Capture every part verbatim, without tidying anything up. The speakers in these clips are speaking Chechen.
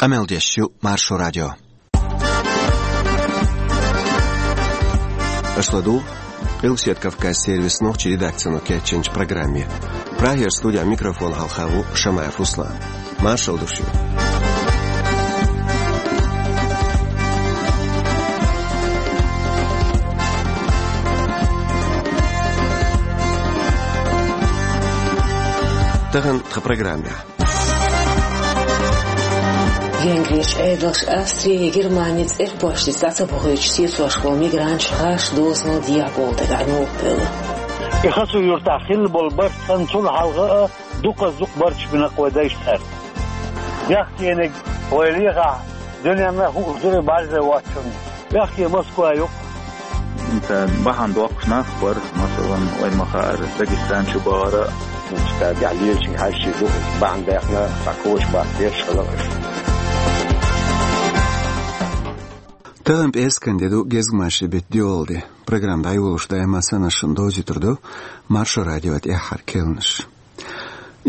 Къамел деш ю Маршо радио. Аша ладугӀу Къилбаседа Кавказан сервисан нохчийн редакцино кечйинчу программе. Прагера студехь микрофон хьалха ву Шамаев Руслан. Маршалла ду шуьга. Тахана тхан программехь. Венгрерчу Ӏедалша Австри я Германи цӀерпошца дӀа ца бохуьйтуш сецош болу мигранташ гӀаш дозанал дехьа болу дагахь новкъа бевлла. И Хасу-Юьртахь хилла болу барт санна, цунна хьалха а дукхаза дукха барташ бина вай дайша цӀарна. Бехкениг вай лехахь, дуьненна хууш дара бӀаьрзе воцчунна. Бехке Москва ю-кх. Ца бахьана доккхуш нах а бара, масалан, вай ма-хаъара, Дагестан чу бахара. Ца тӀехь лелачуьнга хьаьжча ду, бахьана даьккхина, цхьа коча баккха дерш хилла аша. Тахана пӀераскан де ду, гезгмашин беттан доьалгӀа де. Программа дӀайолош даима санна шуна довзуьйтур ду Маршо радион тӀаьххьара керланаш.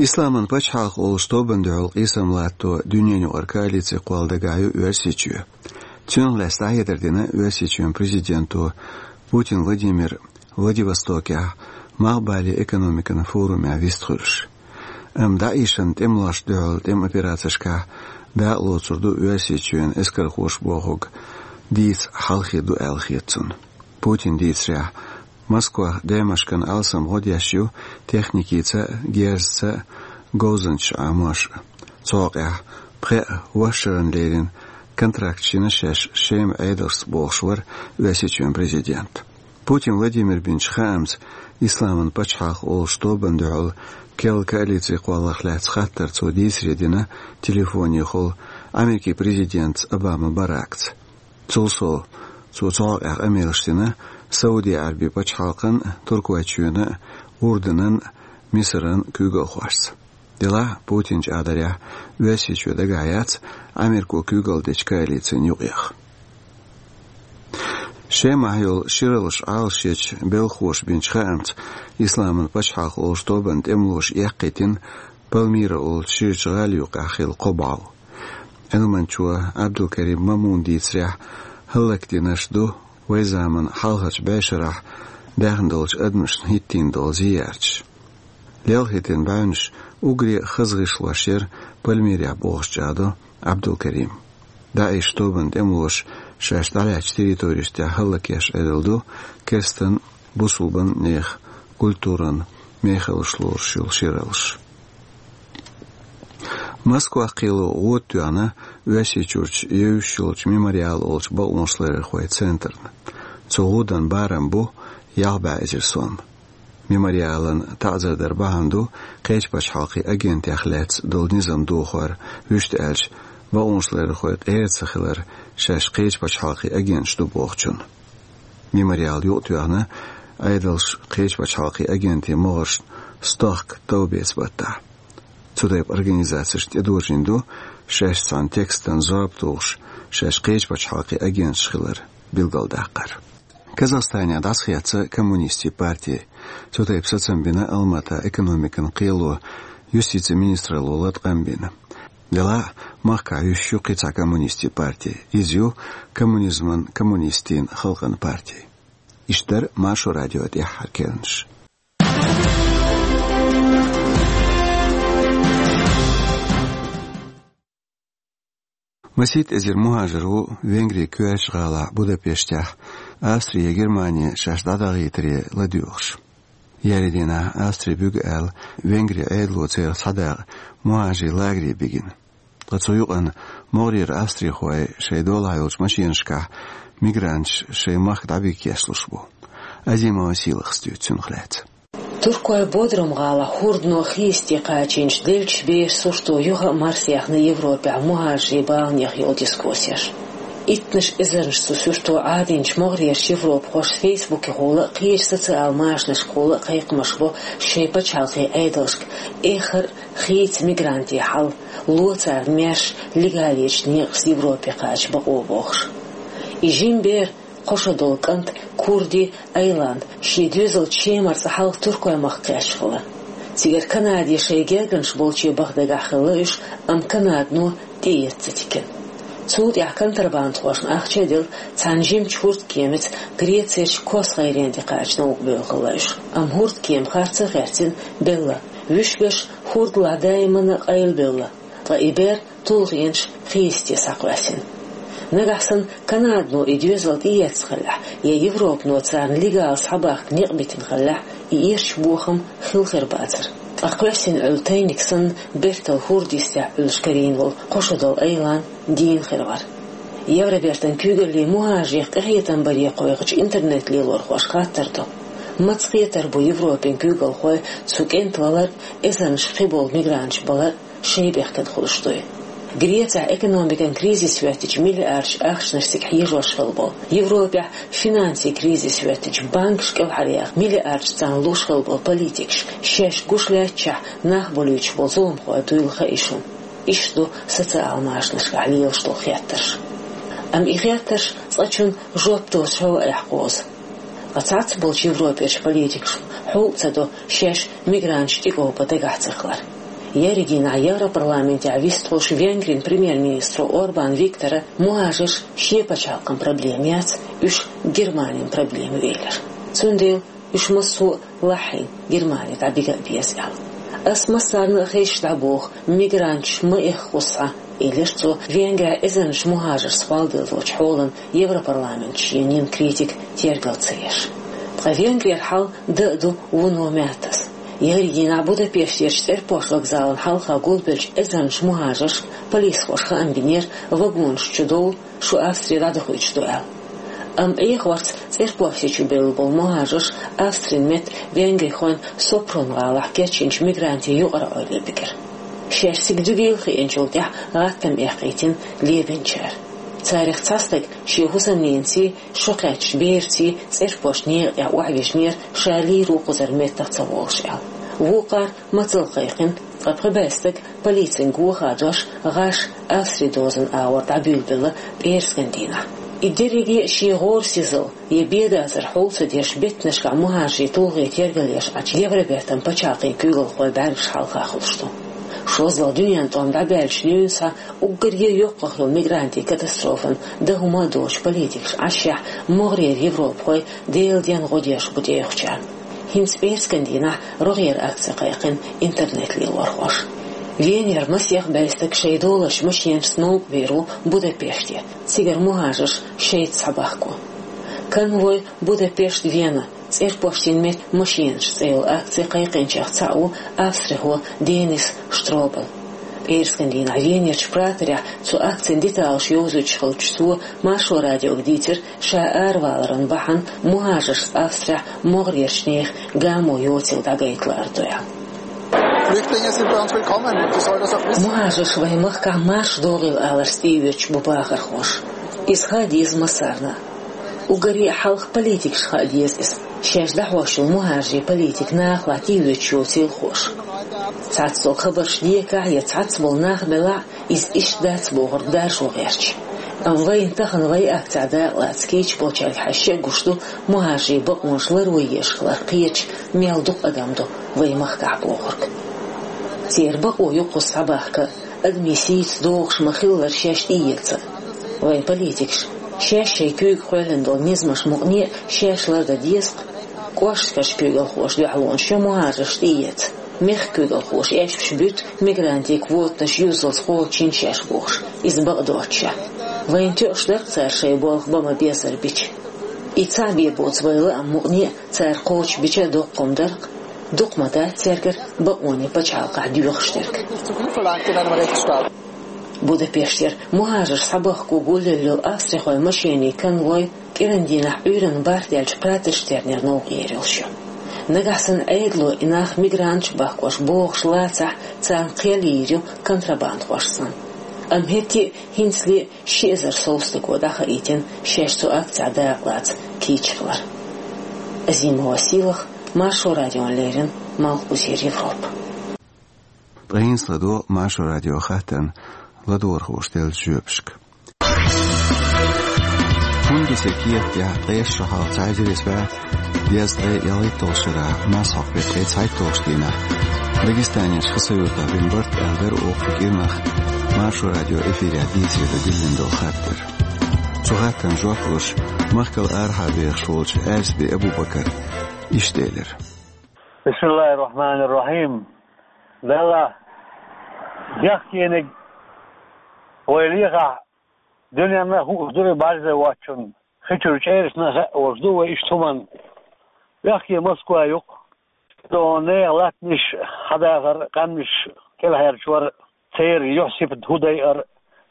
Исламан пачхьалкх олуш тобанна дуьхьал къийсам латто дуьненаюкъара коалици кхолла дагахь ю Оьрсийчоь. Цунах лаьцна дӀахьедар дина Оьрсийчоьнан президенто Путин Владимира Владивостокехь Малхбален экономикан форумехь вистхуьлуш. Амма ДАИШан тӀемалошна дуьхьал тӀеман операцешкахь дакъа лоцур ду Оьрсийчоьнан эскархоша бохург дийца хьалхе ду аьлла хета цунна. Путина дийцарехь, Москвах Даймашкан алсам гӀо деш ю техникица а, герзаца а, говзанчаш Ӏамош а. Цу хьокъехь пхеа вахарна леррина контракташ йина шаьш Шеман Ӏедалшца бохуш вара Оьрсийчоьнан президент. Путин Владимира бинчу хаамца, Исламан пачхьалкх олуш тобанна дуьхьал керла коалици кхолларх лаьцна хаттар цо дийцаре дина телефонехула Америкин президентца Обама Баракца. Цул сов, цо цу хьокъехь къамелаш дина Сауди Ӏаьрбийн пачхьалкхан а, Туркойчоьнан а, Урданан а, Мисаран а куьйгалхошца. Делахь а Путина чӀагӀдарехь, Оьрсийчоь дагахь яц Америко куьйгалла дечу коалицин юкъех. Шемахь йолу шираллаш Ӏалашъечу белхахоша бинчу хаамца, Исламан пачхьалкх олуш тобанан тӀемалоша эккхийтина Пальмира олучу ширачу гӀала юккъехь хилла кхо бӀов. Ӏилманчо Ӏабдулкарим Мамуна дийцарехь, хӀаллакдинарш ду вайн заманан хьалхарчу бӀешарахь даьхна долчу адамашна хӀиттийна долу зиярташ. Лелхийтина бӀаьвнаш уггаре а хаза гӀишлош яра Пальмирехь бохуш чӀагӀдо Ӏабдулкарима. ДАИШ тобанан тӀемалоша шаьш дӀалаьцначу территорешна тӀехь хӀаллакъеш Ӏедал ду керстанан, бусулбанан нехан культуран мехаллаш лоруш йолу шираллаш. Москвахь кхело гӀуда тоьхна Оьрсийчуьрчу евзаш йолчу Мемориал олучу бакъонашларъярхойн центрна. Цу гӀуданан барам бу ялх бӀе эзар сом. Мемориалан таӀзар дар бахьана ду кхечу пачхьалкхийн агентех лаьцна долу низам дохор, вуьшта аьлча, бакъонашларъярхой къера ца хилар шаьш кхечу пачхьалкхийн агенташ ду бохучун. Мемориал юкъатоьхна Ӏедалша кхечу пачхьалкхийн агентийн могӀаршна стохка товбеца баттахь. Цу тайпа организацешна тӀедожийна ду шаьш цхьана текстана зорба тухуш, шаьш кхечу пачхьалкхийн агенташ хилар билгалдаккхар. Казахстанехь дӀасахецна коммунистийн парти. Цу тайпа сацам бина Алматан экономикан кхело, юстицин министралло латкъам бина. Делахь а махкахь юьсуш ю кхин цхьа коммунистийн парти. Иза ю коммунизман, коммунистийн халкъан парти. Иштта дара Маршо радион тӀаьххьара керланаш. Масийтта эзар мухӀажар ву Венгрин коьртачу гӀалахь Будапештехь Австри я Германи шаьш дӀадахийтаре ладоьгӀуш. Еарин дийнахь Австри буьгу аьлла, Венгрин Ӏедало церах цхьа дакъа мухӀажарийн лагере бигина. Ткъа цу юкъана могӀарера австрихой шайн долахь йолчу машинашкахь мигранташ шайн махка дӀабигкешлуш бу. Азима Василахас дуьйцу цунах лаьцна. Туркойн Бодрум-гӀалахь хӀордано хийца тӀе кхачийначу деллачу берийн сурто юха а марсаяьхна Европехь мухӀажарийн баланех йолу дискуссеш. Иттаннаш эзарнаш цу сурто Ӏадийначу могӀарерчу европахоша Фейсбукехула а, кхечу социал машанашкахула а кхайкхамаш бо шайн пачхьалкхийн Ӏедалшка эххар а хийца мигрантийн хьал, ло царна маьрша легалечу некъаца Европе кхача бакъо бохуш. И жима бер, кхо шо долу кӀант Курди Айланд шен доьзалчу Шемарца хьалха Туркойн махка кхаьчна хилла. Цигара Канаде шайн гергарнаш болче баха дагахь хилла уьш, амма Канадано тӀеэцна ца тикина. Цул тӀаьхьа контрабандхошна ахча а делла, цхьана жимачу хӀурдкемаца Грецерчу Кос-гӀайре тӀе кхача новкъа бевлла хилла уьш. Амма хӀурдкема харц а хаьрцина, белла. Вуьшгаш хӀурдалахь даимана къайлабевлла, ткъа и бер тулгӀенаш хи йисте схьакхоьссина. Нагахь санна Канадано и доьзал тӀеэцна хиллехь, я Европано царна легала схьабахка некъ битина хиллехь, и эрча бохам хилла хир бацара. Ткъа кхоьссина Ӏуьллу тайниг санна, бертал хӀорда йистехь Ӏуьллуш карийна волу кхо шо долу айлан дийна хир вара. Евробертан куьйгаллин мухӀажарех къинхетам баре кхойкхучу интернет-лелорхоша хаттар до: маца хетар бу Европин куьйгалхой цу кӀентан валар а, эзарнаш кхиболу мигранташ балар а шайн бехкан хуьлуш дуй? Грецехь экономикан кризис хӀоьттича миллиардаш ахчанаш цига хьежош хилла болу, Европехь финансийн кризис хӀоьттича банкаш кӀелхьаръяха миллиардаш царна луш хилла болу политикаш шаьш гуш лаьттачохь нах балуьйтуш болу зуламхой дуйла хаьий шуна? Иштта ду социал-машанашкахь лелаш долу хеттарш. Амма и хеттарш цкъачунна жоп доцуш хьо а эхь кхозу. Ткъа цхьацца болчу Европерчу политикашна хьул а ца до шаьш мигранташ тӀекӀовба дагахь ца хилар. Ерригийнахь Европарламентехь вистхуьлуш Венгрин премьер-министро Орбан Виктора мухӀажарш шен пачхьалкхан проблема яц, уьш Германин проблема велира. Цундела уьш массо а лахьийна Германи дӀабига а беза аьлла. Ас массарна а хезаш дӀабоху, мигранташ ма эххо схьа, элира цо, Венгрехь эзарнаш мухӀажарш схьаваладеллачу хьолан Европарламентехь шена йина критика тергал ца еш. Ткъа Венгрера хьал дан а ду вуно маьттаза. Ерригийнахь Будапештерчу цӀерпошт вокзална хьалха гулбеллачу эзарнаш мухӀажаршка полисхоша хаам бинера, вагонаш чу довла, шу Австре дӀадохуьйтуш ду аьлла. Амма Ӏехорца цӀерпоште чу бевлла болу мухӀажарш Австрин метта венгрихойн Сопрун гӀалахь кечйинчу мигрантийн юкъара Ӏуьллуш бигира. Шаьш цига дуьгийла хиъначул тӀаьхьа гӀаттам эккхийтина лебинчара. Царах цхьа стаг шен хӀусамненаца, шо кхаьчначу бераца цӀерпошт некъа тӀехь охьавижинера, ша лийр ву кхузара меттах ца волуш аьлла. Вукхара мацалла кхайкхина, ткъа пхи бӀе стаг полицин гохадош гӀаш Австри дозан агӀор дӀабуьйлабелла пӀераскан дийнахь. И дерриге а шен гӀора сизал я бедазар хьул ца деш беттанашкахь мухӀажарийн тулгӀе тергал еш Ӏачу Евробертан пачхьалкхийн куьйгалхой бӀаьргаш хьалха хуьлуш ду. ШозлагӀа дуьненан тӀом дӀабаьллачу дуьйна схьа уггаре йоккхах йолу мигрантийн катастрофана дан хӀума а доцуш политикаш Ӏашшехь, могӀарера европахой Делан денна гӀо деш бу тӀеюхучарна. ХӀинца пӀераскан дийнахь рогӀера акци кхайкхина интернет-лелорхоша. Венера масех бӀе стаг шайн долуш машенашца новкъа вер ву Будапеште, цигара мухӀажарш шайца схьабахко. «Конвой Будапешт-Вена, цӀерпоштийн метта машенаш» цӀе йолу акци кхайкхинчех цхьаъ ву австрихо Денис Штробел. ПӀераскан дийнахь Венерчу праторехь цу акцин деталаш йовзуьйтуш хиллачу цо Маршо радиога дийцира, ша араваларан бахьана мухӀажаршца Австрехь могӀарерчу нехан гамо йоцийла дӀагайта лаар ду аьлла. Flüchtlinge sind bei uns willkommen. Die sollen das auch wissen. МухӀажарш вайн махкахь марша догӀийла аларца тӀеоьцуш бу бахархоша. Иза хаа деза массарна. Уггаре а хьалха политикашна хаа деза иза, шаьш дӀахьош йолу мухӀажарийн политика нахалахь тӀеоьцуш йоцийла хууш. Цхьацца долу хабарш декахь я цхьацца болу нах белахь, иза иштта дац бохург даржо гӀерташ. Амма вайна тахана вайн акцехь дакъалаца кийча болчаьрга хьаьжча а гуш ду, мухӀажарийн бакъонаш ларъеш хилар кхеташ мел дукха адам ду вайн махкахь бохург. Церан бакъо ю кхуза схьабахка, адамийн сийца догӀуш ма-хиллара шаьш тӀеэца. Вайн политикаша шаьш шайн куьйга кхоьллина долу низамаш мукъане а шаьш лардан деза-кх. КӀоштарчу куьйгалхоша дуьхьалонаш йо мухӀажарш тӀеэца. Мехкан куьйгалхоша эшпаш буьту мигрантийн квотанаш юззалц кхочушйина шаьш бохуш, иза бакъдоцуш. Вайна тоьуш дара-кх цара шайн болх бан ма-беззара бича. И цхьаъ бен боцу вайн лаам мукъане а цара кхочушбича доккха хӀума дара-кх. Дукха ма дац цаьргара бакъонийн пачхьалкхехь доьхуш дерг. Будапештера мухӀажарш схьабахко гулъелла йолу австрихойн машенийн конвой кӀиран дийнахь Ӏуьйранна бархӀ даьллачу праторшца тернера новкъа ер йолуш ю. Нагахь санна Ӏедало и нах мигранташ бахкош богӀуш лацахь, царна кхел йийр ю контрабандхошца санна. Амма хӀетте а хӀинцале а ши эзар сов стага дӀахаийтина шаьш цу акцехь дакъалаца кийча хилар. Азима Василах, Маршо радиона леррина, Малхбузера Европа. Ткъа хӀинца ладогӀа Маршо радион хаттарна ладогӀархоша деллачу жоьпашка. ХӀунда ду сан кехатехь ткъеста шо хьалха цхьа эзар исс бӀе дезткъе ялхитталгӀачу шарахь, марсхьокху беттан ткъе цхьайтталгӀачу дийнахь Дагестанерчу Хасавюртахь бина барт аьлла дара оха кху кӀирнах Маршо радио эфирехь дийцаре дан диллина долу хаттар. Цу хаттарна жоп луш, махкал арахьа бехаш волчу Аьрсби Абу-Бакара иштта элира. Бисмиллахир-рахманир-рахим. Далла, бехкениг вай лехахь, дуьненна а хууш ду и бӀаьрзе воцчунна, хи чуьра чӀерашна а хаьа волуш ду вай иштта хӀуманна. Бехке Москва ю-кх. Дона нехан латтанаш хьадахар, къаьмнаш кӀелхьарчор, церан юьхь-сибат хӀун дайар,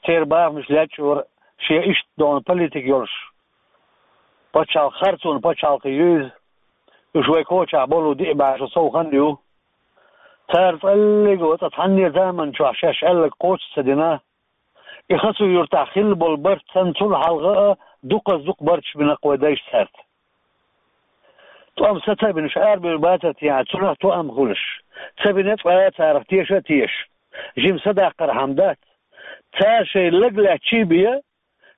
церан бахамаш лечкъор, шен иштта дона политика йолуш пачхьалкх, харцонан пачхьалкх ю иза. Уьш вай кочахь болу диъ бӀе шо сов хан ю. Цара цкъа а оцу цхьанне заман чохь шаьш аьлларг кхочуш ца дина. И Хасав-Юртахь хилла болу барт санна, цул хьалха а дукхаза-дукха барташ бина-кх вай дайша цаьрца. ТӀом са ца бинарш арабевр бацара техьа, цунах тоам хуьлуш, ца бина цкъа а царах теша а тешаш, жима са даккхархьама дац. Цара шайн лаг лаьттачий бен,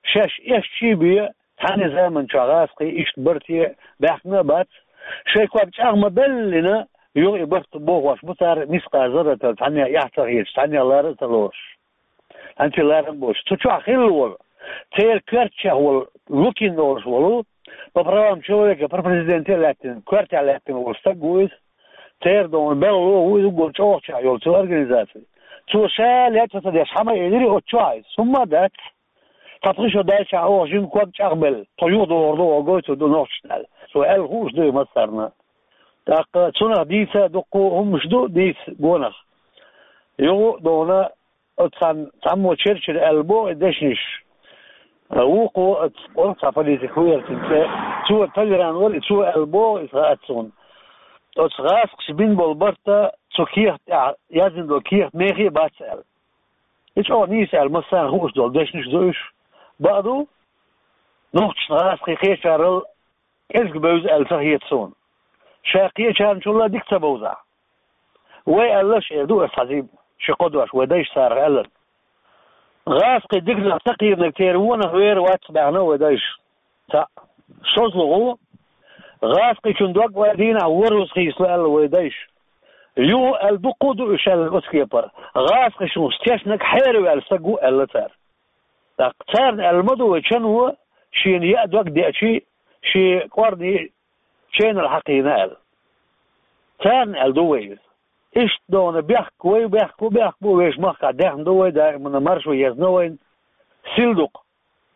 шаьш эшначий бен, цхьанне заман чохь гӀазкхий иштта барте баьхкина а бац. Шайн ког чӀагӀ ма-беллина, юха и барт бохош бу цара, мискъал зарратал цхьанне эхь ца хеташ, цхьанне лара а ца лоруш. ХӀинца ларам а боцуш, цу чохь хилла волу, церан коьртачех волу, Лукин олуш волу, по правам человека, про президенте а лаьттина, коьртехь лаьттина волу стаг ву иза. Церан дона белхало ву иза, уггар чӀогӀачех йолу цу организацин. Цо ша лечкъа ца деш хьама а элира оцу чохь иза. ХӀумма а дац. Цхьа пхи шо даьлчахь оха жима ког чӀагӀбелла, тхо юхадохур ду оха гойтур ду нохчашна аьлла. Цо аьлла хууш ду и массарна. ТӀаккха цунах дийца а дуккха хӀуманаш ду, дийца гонах. Юха а дона Оцу цхьан цхьаммо чер-чера аьлла боху и дешнаш. Вукхо оцу, оцу цхьа политик ву яра цуьнан цӀе. Цо Талеран вара, и цо аьлла боху, иза хаьа суна. Оцу гӀазкхаша бина болу барт а, цу кехат тӀехь яздина долу кехат мехе а бац аьлла. И чӀогӀа нийса аьлла, массарна хууш долу дешнаш ду уьш. Бакъ ду, нохчашна гӀазкхий кхечарал кӀезиг бевза аьлла ца хета суна. Ша кхечарначул а дика ца бовзахь. Вай аьлларш эр ду аса хьазийба, ши кхо дош вай дайша царах аьлларг. ГӀазкхий диканах ца кхийринарг церан вонах вер вац баьхна вай дайша. Цхьаъ. ШозлагӀа, гӀазкхичун дог вай дийнахь ворхӀазза хийцало аьлла вай дайша. Юха аьлла дуккха а ду уьш аьлла оцу кепара. ГӀазкхичун тешнарг хьераваьлла стаг ву аьлла цара. ТӀаккха царна аьлла ма ду вай чан вон, шена яа дог деачий, шен кӀорни ченал хьакхийна аьлла. Царна аьлла ду вай иза. Иштта дона бехк вай, бехк ву, бехк бу, вешан махкахь даьхна ду вай, даимана маршо езна вайна. Сил ду-кх.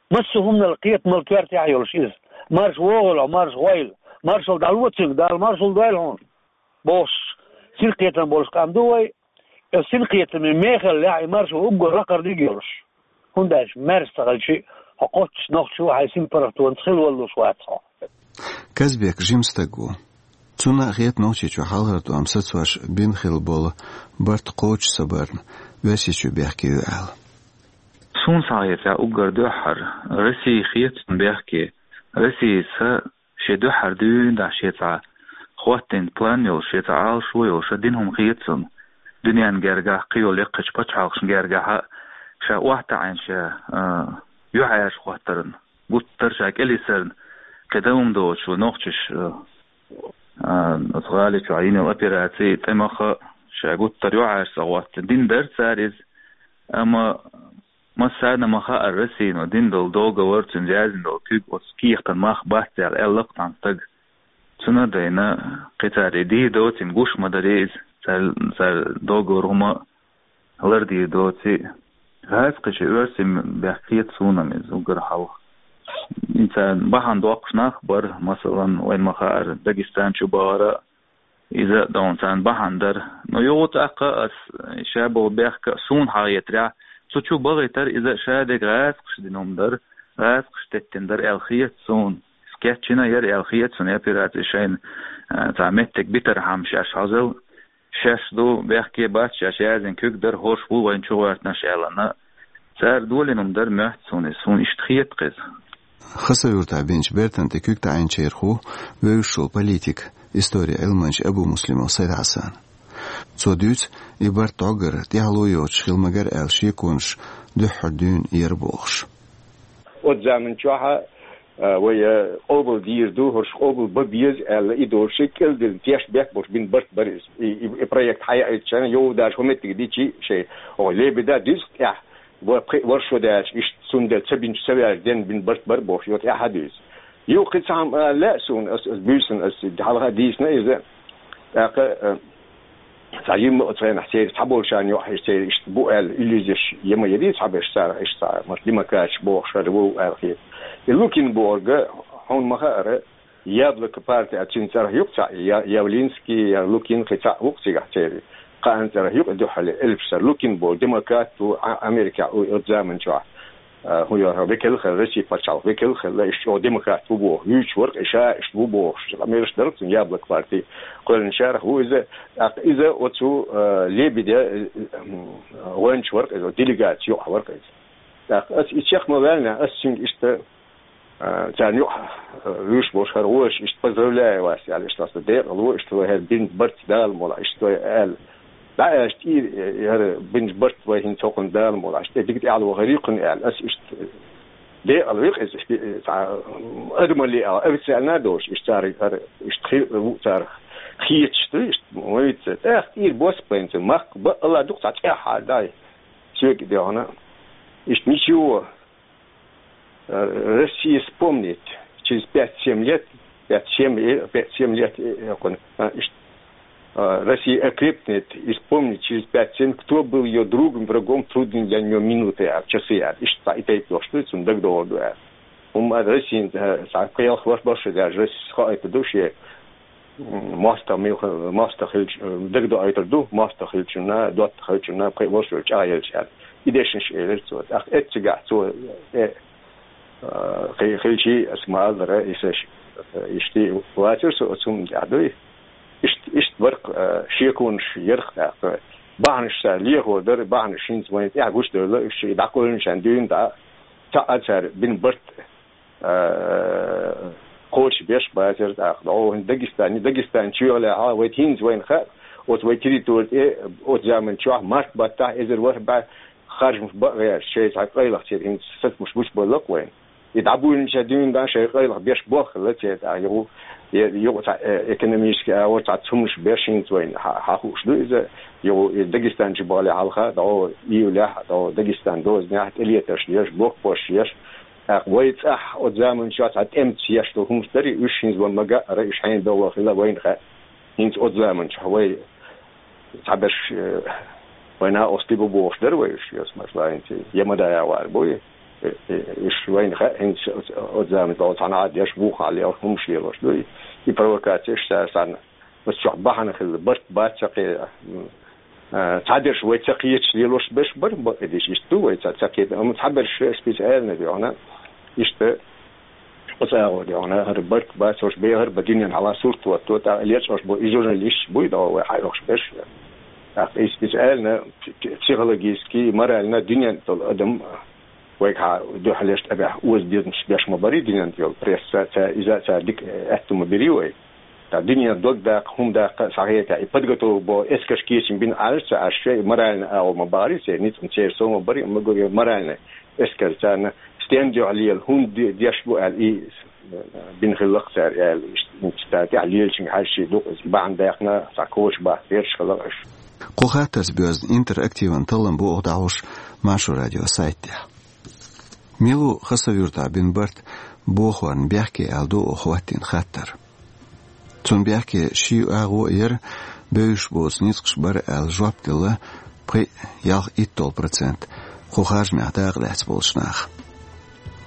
Массо а хӀуманал кхетамал коьртехь а йолуш иза. Марша вогӀийла хьо, марша гӀойла. Маршалла дӀало цуьнга, Дала маршалла дойла хьуна. Бохуш, синкхетам болуш къам ду вай. Оцу синкхетаман мехаллехь и маршо уггар лакхара диг йолуш. ХӀунда аьлча маьрша ца хилча, хьо кхоччуш нохчо хьайн синпаргӀатонца хила валлуш вац хьо. Казбек жима стаг ву. Цунна а хета Нохчийчохь хьалхара тӀом сацош бина хилла болу барт кхочуш ца барна, Оьрсийчоь бехке ю аьлла. Суна схьахетарехь уггар дуьххьара Россия хета цунна бехке. Россияца шен дуьххьара дуьйна дахьа шен цхьа хӀоттийна план йолуш, шен цхьа Ӏалашо йолуш, ша дина хӀума хета цунна. Дуьненна гергахь, кхин йолу яккхийчу пачхьалкхашна гергахь а ша охьатаӀийна ша, а, юьхьӀаьржа хӀоттарна, гуттар а ша кӀелйисарна, кхин дан хӀума доцуш ву нохчаш, а, а, оцу гӀали чохь йина йолу операций тӀемаха ша гуттар а юьхьӀаьржа ца хӀоттийна. Дина дара цара иза, амма массарна ма хаьара Россино дина долу договор, цуьнан яздина долу куьг оцу кехатан мах бац аьлла, аьлла-кх цхьана стага. Цунна а дайна, кхин цара и дийр доций, гуш ма дарий иза, цара, цара договор хӀума лардийр доций. ГӀазкхичун оьрсийн бехк хета суна-м иза уггар хьалха. И царна бахьана доккхуш нах бара, масалан, вайна ма хаьара, Дагестан чу бахара, иза а дона царна бахьана дара. Но юха тӀаккха ас ша болу бехк а суна хьахетарехь, цу чу бахийтар иза ша дерг гӀазкхаша дина хӀума дара, гӀазкхаша теттина дара аьлла хета суна. Кечйина яра аьлла хета суна и операци шайна, а, цхьа меттиг битархьама шаьш хьозал, шаьш ду, бехке бац, шаьш яздина куьг дара, хӀорш бу вайна чугӀоьртинарш аьлла. Цара долийна хӀума дара моьтту суна иза, суна иштта хета-кх иза. Хасавюртахь бинчу бертан тӀе куьг таӀийначарах ву вевзаш волу политик, историн Ӏилманча Абу-Муслимов Сайд-Хьасан. Цо дуьйцу, и барт дӀогара, тӀаьхьало йоцуш хила магара аьлла шеконаш дуьххьара дуьйна яра бохуш. Оцу заман чохь а, а, вай, а, къобал дийр ду, хӀорш къобал бан беза аьлла, и долуш шайн кӀелдина тешнабехк болуш бина барт бара иза. И, и, и проект хьаяийтича, йовдаш хӀун меттиг дичи шайн, оха лебеда дуьзкъ тӀехь. Вар-, пхи-, варшо даьлча, иштта цундела ца бинчу, ца ваьлча, ден бина барт бар бохуш, йота эхьа дуьйцу. Юха кхин цхьа хӀума, а, лаьа суна, ас, ас буьйсанна, ас хьалха дийцина иза. ТӀаккха, а, цхьа йимма оцу хенахь церан цхьаболчарна йоӀ хьежа церан иштта бу аьлла, иллюзеш я ма яра цхьаберш царах, иштта цхьа, может, демократаш бохуш хӀара ву аьлла хета. И Лукин бохург, хьуна ма хаъара, Яблоко партия, цуьнан цӀарах юкъа цхьаъ, я-, Явлинский, я Лукин, кхин цхьаъ ву-кх цигахь церан. Кхаанна цӀарах юкъа дуьххьал элпаш цара. Лукин боху демократ ву, а-, Америкехь ву оцу заман чохь. А, хӀун йоху, векал хилла, Россия пачхьалкх векал хилла, иштта чӀогӀа демократ ву боху. Вуьйцуш вара-кх и ша, иштта ву бохуш. Къамелаш дара-кх цуьнан Яблоко партия кхоьллинчарах ву иза. ТӀаккха иза оцу, а, Лебедя, а, гӀоьнча вара-кх иза, делегаци юкъахь вара-кх иза. ТӀаккха ас и чекх ма ваьллинехь, ас цуьнга иштта А, царна юкъа, а, вуьйш болуш хӀара вожаш, иштта поздравляю вас, аьлла, иштта аса декъала ву, иштта вай хӀара бинчу барт Дала мукъалахь, иштта вай аьлла. ДӀа аьлча тӀера, э, хӀара бинчу барт вай хӀинца хӀокхунна Дала мукъалахь, иштта дика тӀехьа вахара юкъана аьлла. Аса иштта декъала ву-кх иза, иштта, э, цхьа, м, адамалле а, официально а долуш, иштта царах хӀара, иштта хи-, ву царах хеташ ду, иштта, ма вицца. ТӀаккха тӀера бос бен цу, махка бакъалла дукха цхьа тӀаьхьа дай. Соьга дехна. Иштта ничего. Э, Россия вспомнит через пять-семь лет, пять-семь, э, пять-семь лет, э, э, кон-, а, иш-, а, Россия окрепнет и вспомнит через пять-семь, кто был её другом, врагом, трудные для неё минуты, а, часы, а, иштта и тайп йолуш ду, цунна дагадогӀур ду, а. ХӀумма а Россин, э, цхьа кхелха ваш башха даже Россия хаийтур ду шен. М, мостагӀа муьлха-, мостагӀа хилча, э, дагадоуьйтур ду, мостагӀа хилчунна, доттагӀа хилчунна, пхи-, вовшашка чӀагӀъелча аьлла. И дешнаш элира цо. ТӀаккха эццигахь цо, э, э, хи-, хилчий, ас ма-аллара, и саш, э, иштта вацара со оцу хӀуманна тӀехь дуй. Иштта, иштта вара-кх, э, шеконаш яра-кх тӀаккха. Бахьанаш цара лехо дара, бахьанаш хӀинца вайна тӀехь гучудевлла, уьш и дӀакхоьллинчарна дуьйна дӀа, цхьаъ а цара бина барт, а, кхочушбеш бацара тӀаккха. ДӀо хӀинца Дагестане, Дагестан чоьхьалехьа, вай хӀинца вайна хаьа, оцу вай территори тӀе, оцу заман чохь, март баттахь, эзар ворхӀ бӀе харжамаш бакъ гӀерташ, шайн цхьа къайлаха церан хӀинца сацамаш гучубалла-кх вайна. И дӀабуьйлинчарна дуьйна дӀа шайн къайлаха беш болх хилла церан тӀаккха, юха, е-, юха цхьа, э, экономически агӀор цхьа цумнаш беш хӀинца вайна хьа-, хьахууш ду иза, юха и Дагестан чу бахале хьалха, дӀо июлехь, дӀо Дагестан дозанехь тӀелетарш еш, блокпосташ еш, ТӀаккха вай цӀахь оцу заманчохь цхьа тӀемца еш долу хӀуманаш дарий, уьш хӀинца ван ма-гаъара, уьш хьенан бевлла хилла вайна хаьа. ХӀинца оцу заманчохь вай цхьаберш, э, вайна оцу тӀе бу бохуш дара вай уьш, йос, масала, хӀинца я ма даяхьара бу, э, э, уьш вайна хаьа, хӀинца оцу, оцу заманчохь цхьана а деш, вухахь лелаш, хӀуманаш лелош ду, и провокацеш цара санна. Оцу чохь бахьана хилла, барт бац ца кхе-, м, а, цхьадерш вай ца кхеташ лелош берш бара, бакъдерг иштта ду вай ца, ца кхета. Амма цхьаберш специально дегӀана, иштта оцу агӀор дегӀана, хӀара барт бац, ош бехар ба дуьнен хьала сурт ватто, тӀаккха лечкъош бу, и журналисташ буй догӀу вай хьайохуш берш. ТӀаккха и специально пси-, психологически, морально дуьнен долу адам вайгахьа дуьхьалеш тӀебехь оза дезамаш беш ма барий дуьнен тӀе йолу пресса, ца, иза ца дика аьтту ма бирий вай. Ткъа дуьнен дог даккха, хӀума даккха а схьахетахь, и подготовка бо эскарш кечам бина Ӏаш ца Ӏаш, шай морально агӀо ма бахарий церан, ницкъ ма церан сов ма барий, ма гур морально эскар царна стен дуьхьа лела, хӀунда де-, деш бу аьлла, и бина хилла-кх цара аьлла, иштта, иштта тӀехь лелачуьнга хьаьжчий ду-кх иза, бахьана даьккхина, цхьа коча бахка гӀерташ хилла-кх уьш. Кху хаттарца боьзна интерактиван таллам бу оха дӀахьош Маршо радио сайт тӀехь. Мила ву Хасавюртахь бина барт бохорна бехке аьлла ду оха хӀоттийна хаттар. Цунна бехке ши агӀо а яра, бевзаш боцу ницкъаш бара аьлла жоп делла пхи ялх итталгӀа процент кху харжамех дакъа лаьцна болчу наха.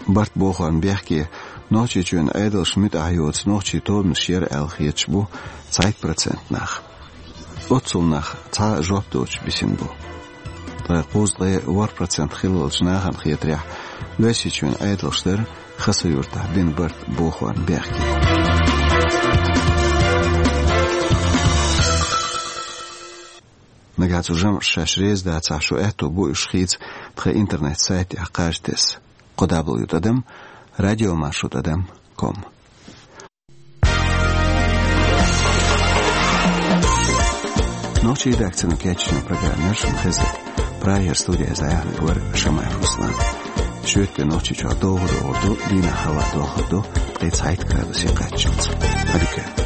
Барт бохорна бехке Нохчийчоьнан Ӏедалша муьтӀахь йоцу нохчийн тобанаш яра аьлла хеташ бу цхьайтта процент нах. Оццул нах цхьа а жоп доцуш бисина бу. Ткъа кхузткъе ворхӀ процент хиллалчу нахана хетарехь, Оьрсийчоьнан Ӏедалша дара Хасавюртахь бина барт бохорна бехке. Нагахь цу жамӀаша шаьш реза дацахь, шун аьтто бу уьш хийца тхан интернет-сайтехь кхаж тесса: кхо дабл ю тӀадам радиомаршо тӀадам ком. Нохчийн редакцино кечйина программа яра шуна хезира. Прагера студехь зӀе вара Шамаев Руслан. Шоьтан де Нохчийчохь довха догӀур ду, дийнахь хӀаваъ дохур ду ткъе цхьайтта градусе кхаччалц. Ӏадика.